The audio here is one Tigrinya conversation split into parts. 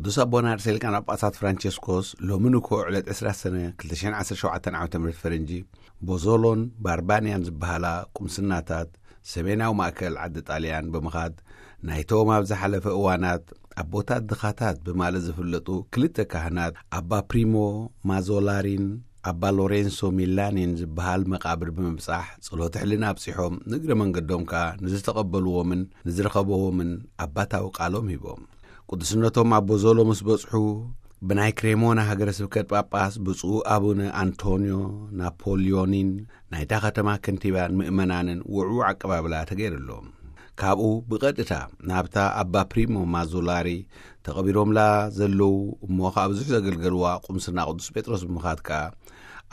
ቅዱስ ኣቦና ርእሰ ሊቃነ ጳጳሳት ፍራንቸስኮስ ሎሚ ንግሆ ዕለት ዕስራ ሰነ ክልተ ሽሕን ዓሰርተ ሸውዓተን ዓመተ ምህረት ፈረንጂ፣ ቦዞሎን ባርባንያን ዝበሃላ ቁምስናታት ሰሜናዊ ማእከል ዓዲ ጣልያን ብምኻድ፣ ናይቶም ኣብ ዝሓለፈ እዋናት ኣቦታት ድኻታት ብማለት ዝፍለጡ ክልተ ካህናት፣ ኣባ ፕሪሞ ማዞላሪን ኣባ ሎሬንሶ ሚላኒን ዝበሃል መቓብር ብምብጻሕ፣ ጸሎተ ሕልና ኣብጺሖም፣ ንእግረ መንገዶም ከኣ ንዝተቐበልዎምን ንዝረኸብዎምን ኣባታዊ ቃሎም ሂቦም። ቅዱስነቶም ኣብ ቦዞሎ ምስ በጽሑ፣ ብናይ ክሬሞና ሃገረ ስብከት ጳጳስ ብፁዕ ኣቡነ ኣንቶንዮ ናፖሊዮኒን ናይታ ከተማ ከንቲባን ምእመናንን ውዕዉዕ ኣቀባብላ ተገይሩሎም። ካብኡ ብቐጥታ ናብታ ኣባ ፕሪሞ ማዞላሪ ተቐቢሮምላ ዘለዉ እሞ ከኣ ብዙሕ ዘገልገልዋ ቁምስና ቅዱስ ጴጥሮስ ብምኻድ ከኣ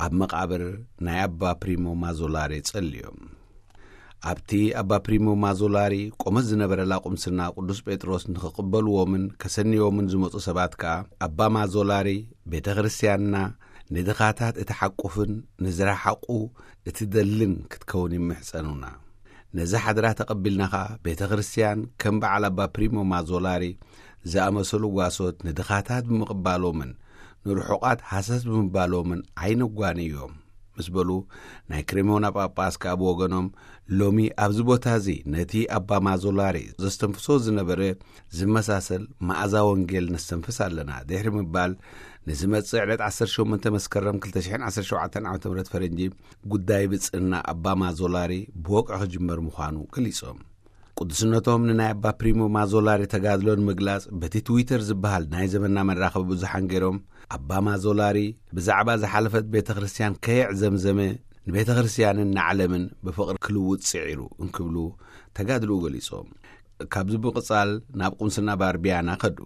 ኣብ መቓብር ናይ ኣባ ፕሪሞ ማዞላሪ ጸልዮም። ኣብቲ ኣባ ፕሪሞ ማዞላሪ ቆመት ዝነበረላ ቁምስና ቅዱስ ጴጥሮስ ንኽቕበልዎምን ከሰንይዎምን ዝመጹ ሰባት ከኣ፣ ኣባ ማዞላሪ፣ ቤተ ክርስቲያንና ንድኻታት እትሓቁፍን ንዝረሓቑ እትደልን ክትከውን ይምሕጸኑና። ነዚ ሓድራ ተቐቢልና ኸኣ፣ ቤተ ክርስቲያን ከም በዓል ኣባ ፕሪሞ ማዞላሪ ዝኣመሰሉ ጓሶት ንድኻታት ብምቕባሎምን ንርሑቓት ሃሰስ ብምባሎምን ኣይነጓንዮም ምስ በሉ፣ ናይ ክሬሞና ጳጳስ ከኣ ብወገኖም፣ ሎሚ ኣብዚ ቦታ እዚ ነቲ ኣባ ማዞላሪ ዘስተንፍሶ ዝነበረ ዝመሳሰል መኣዛ ወንጌል ነስተንፍስ ኣለና ድሕሪ ምባል፣ ንዝመጽእ ዕለት ዓሰርተ ሸሞንተ መስከረም ክልተ ሽሕን ዓሰርተ ሸውዓተን ዓመተ ምህረት ፈረንጂ ጉዳይ ብጽእና ኣባ ማዞላሪ ብወግዒ ክጅመር ምዃኑ ገሊጾም። ቅዱስነቶም ንናይ ኣባ ፕሪሞ ማዞላሪ ተጋድሎ ንምግላጽ በቲ ትዊተር ዝበሃል ናይ ዘመንና መራኸቢ ብዙሓን ገይሮም፣ ኣባ ማዞላሪ ብዛዕባ ዝሓለፈት ቤተ ክርስቲያን ከየዕዘምዘመ ንቤተ ክርስቲያንን ንዓለምን ብፍቕሪ ክልውጥ ጽዒሩ እንክብሉ ተጋድልኡ ገሊጾም። ካብዚ ብምቕጻል ናብ ቁምስና ባርቢያና ከዱ።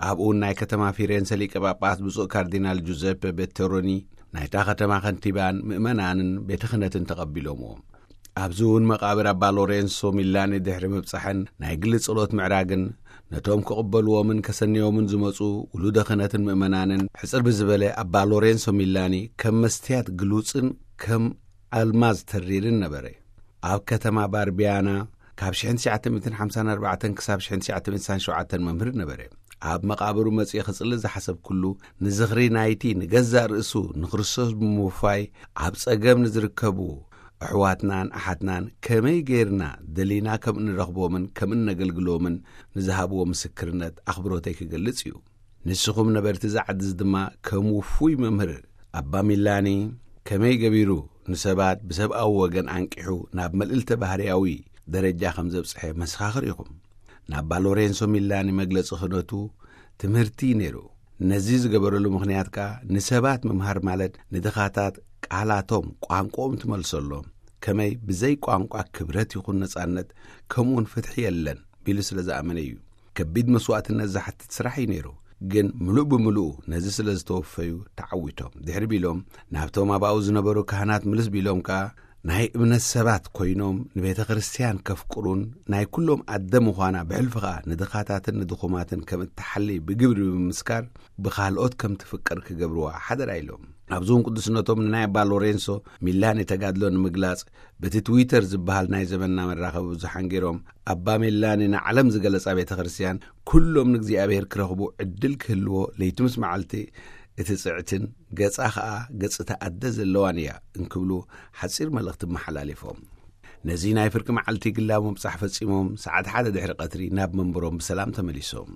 ኣብኡ ናይ ከተማ ፊሬንሰ ሊቀ ጳጳስ ብፁዕ ካርዲናል ጁዘፐ ቤተሮኒ ናይታ ከተማ ከንቲባን ምእመናንን ቤተ ክህነትን ተቐቢሎምዎ። ኣብዚ እውን መቓብር ኣባ ሎሬንሶ ሚላኒ ድሕሪ ምብጻሕን ናይ ግሊ ጸሎት ምዕራግን፣ ነቶም ክቕበልዎምን ከሰንዮምን ዝመጹ ውሉደ ክህነትን ምእመናንን ሕጽር ብዝበለ ኣባ ሎሬንሶ ሚላኒ ከም መስትያት ግሉጽን ከም ኣልማዝ ተሪርን ነበረ። ኣብ ከተማ ባርቢያና ካብ ሽሕን ትሽዓተ ሚእትን ሓምሳን ኣርባዕተን ክሳብ ሽሕን ትሽዓተ ሚእትን ስሳን ሸውዓተን መምህር ነበረ። ኣብ መቓብሩ መጺኤ ክጽሊ ዝሓሰብኩሉ፣ ንዝኽሪ ናይቲ ንገዛእ ርእሱ ንክርስቶስ ብምውፋይ ኣብ ጸገም ንዝርከቡ ኣሕዋትናን ኣሓትናን ከመይ ጌርና ደሊና ከም እንረኽቦምን ከም እነገልግሎምን ንዝሃብዎ ምስክርነት ኣኽብሮተይ ክገልጽ እዩ። ንስኹም ነበርቲ እዚ ዓዲ እዚ ድማ ከም ውፉይ መምህር ኣባ ሚላኒ ከመይ ገቢሩ ንሰባት ብሰብኣዊ ወገን ኣንቂሑ ናብ መልእልተ ባህርያዊ ደረጃ ከም ዘብጽሐ መሰኻኽር ኢኹም። ንኣባ ሎሬንሶ ሚላኒ መግለጺ ክህነቱ ትምህርቲ እዩ ነይሩ። ነዚ ዝገበረሉ ምኽንያት ከኣ ንሰባት ምምሃር ማለት ንድኻታት ቃላቶም፣ ቋንቋኦም ትመልሰሎም፣ ከመይ ብዘይ ቋንቋ ክብረት ይኹን ነጻነት ከምኡውን ፍትሒ የለን ቢሉ ስለ ዝኣመነ እዩ። ከቢድ መስዋእትነት ዝሓትት ስራሕ እዩ ነይሩ። ግን ምሉእ ብምሉኡ ነዚ ስለ ዝተወፈዩ ተዓዊቶም። ድሕሪ ቢሎም ናብቶም ኣባኡ ዝነበሩ ካህናት ምልስ ቢሎም ከኣ ናይ እምነት ሰባት ኮይኖም ንቤተ ክርስቲያን ከፍቅሩን ናይ ኩሎም ኣደ ምዃና ብሕልፊ ከኣ ንድኻታትን ንድኹማትን ከም እትሓሊ ብግብሪ ብምምስካር ብኻልኦት ከም ትፍቀር ክገብርዋ ሓደራ ኢሎም። ኣብዚ እውን ቅዱስነቶም ንናይ ኣባ ሎሬንሶ ሚላኒ ተጋድሎ ንምግላጽ በቲ ትዊተር ዝበሃል ናይ ዘመንና መራኸቢ ብዙሓን ገይሮም፣ ኣባ ሚላኒ ንዓለም ዝገለጻ ቤተ ክርስቲያን ኩሎም ንእግዚኣብሔር ክረኽቡ ዕድል ክህልዎ ለይቲ ምስ መዓልቲ እቲ ጽዕትን ገጻ ኸኣ ገጽ እታ ኣደ ዘለዋን እያ እንክብሉ ሓጺር መልእኽቲ መሓላሊፎም። ነዚ ናይ ፍርቂ መዓልቲ ግላዊ ምብጻሕ ፈጺሞም ሰዓት ሓደ ድሕሪ ቀትሪ ናብ መንበሮም ብሰላም ተመሊሶም።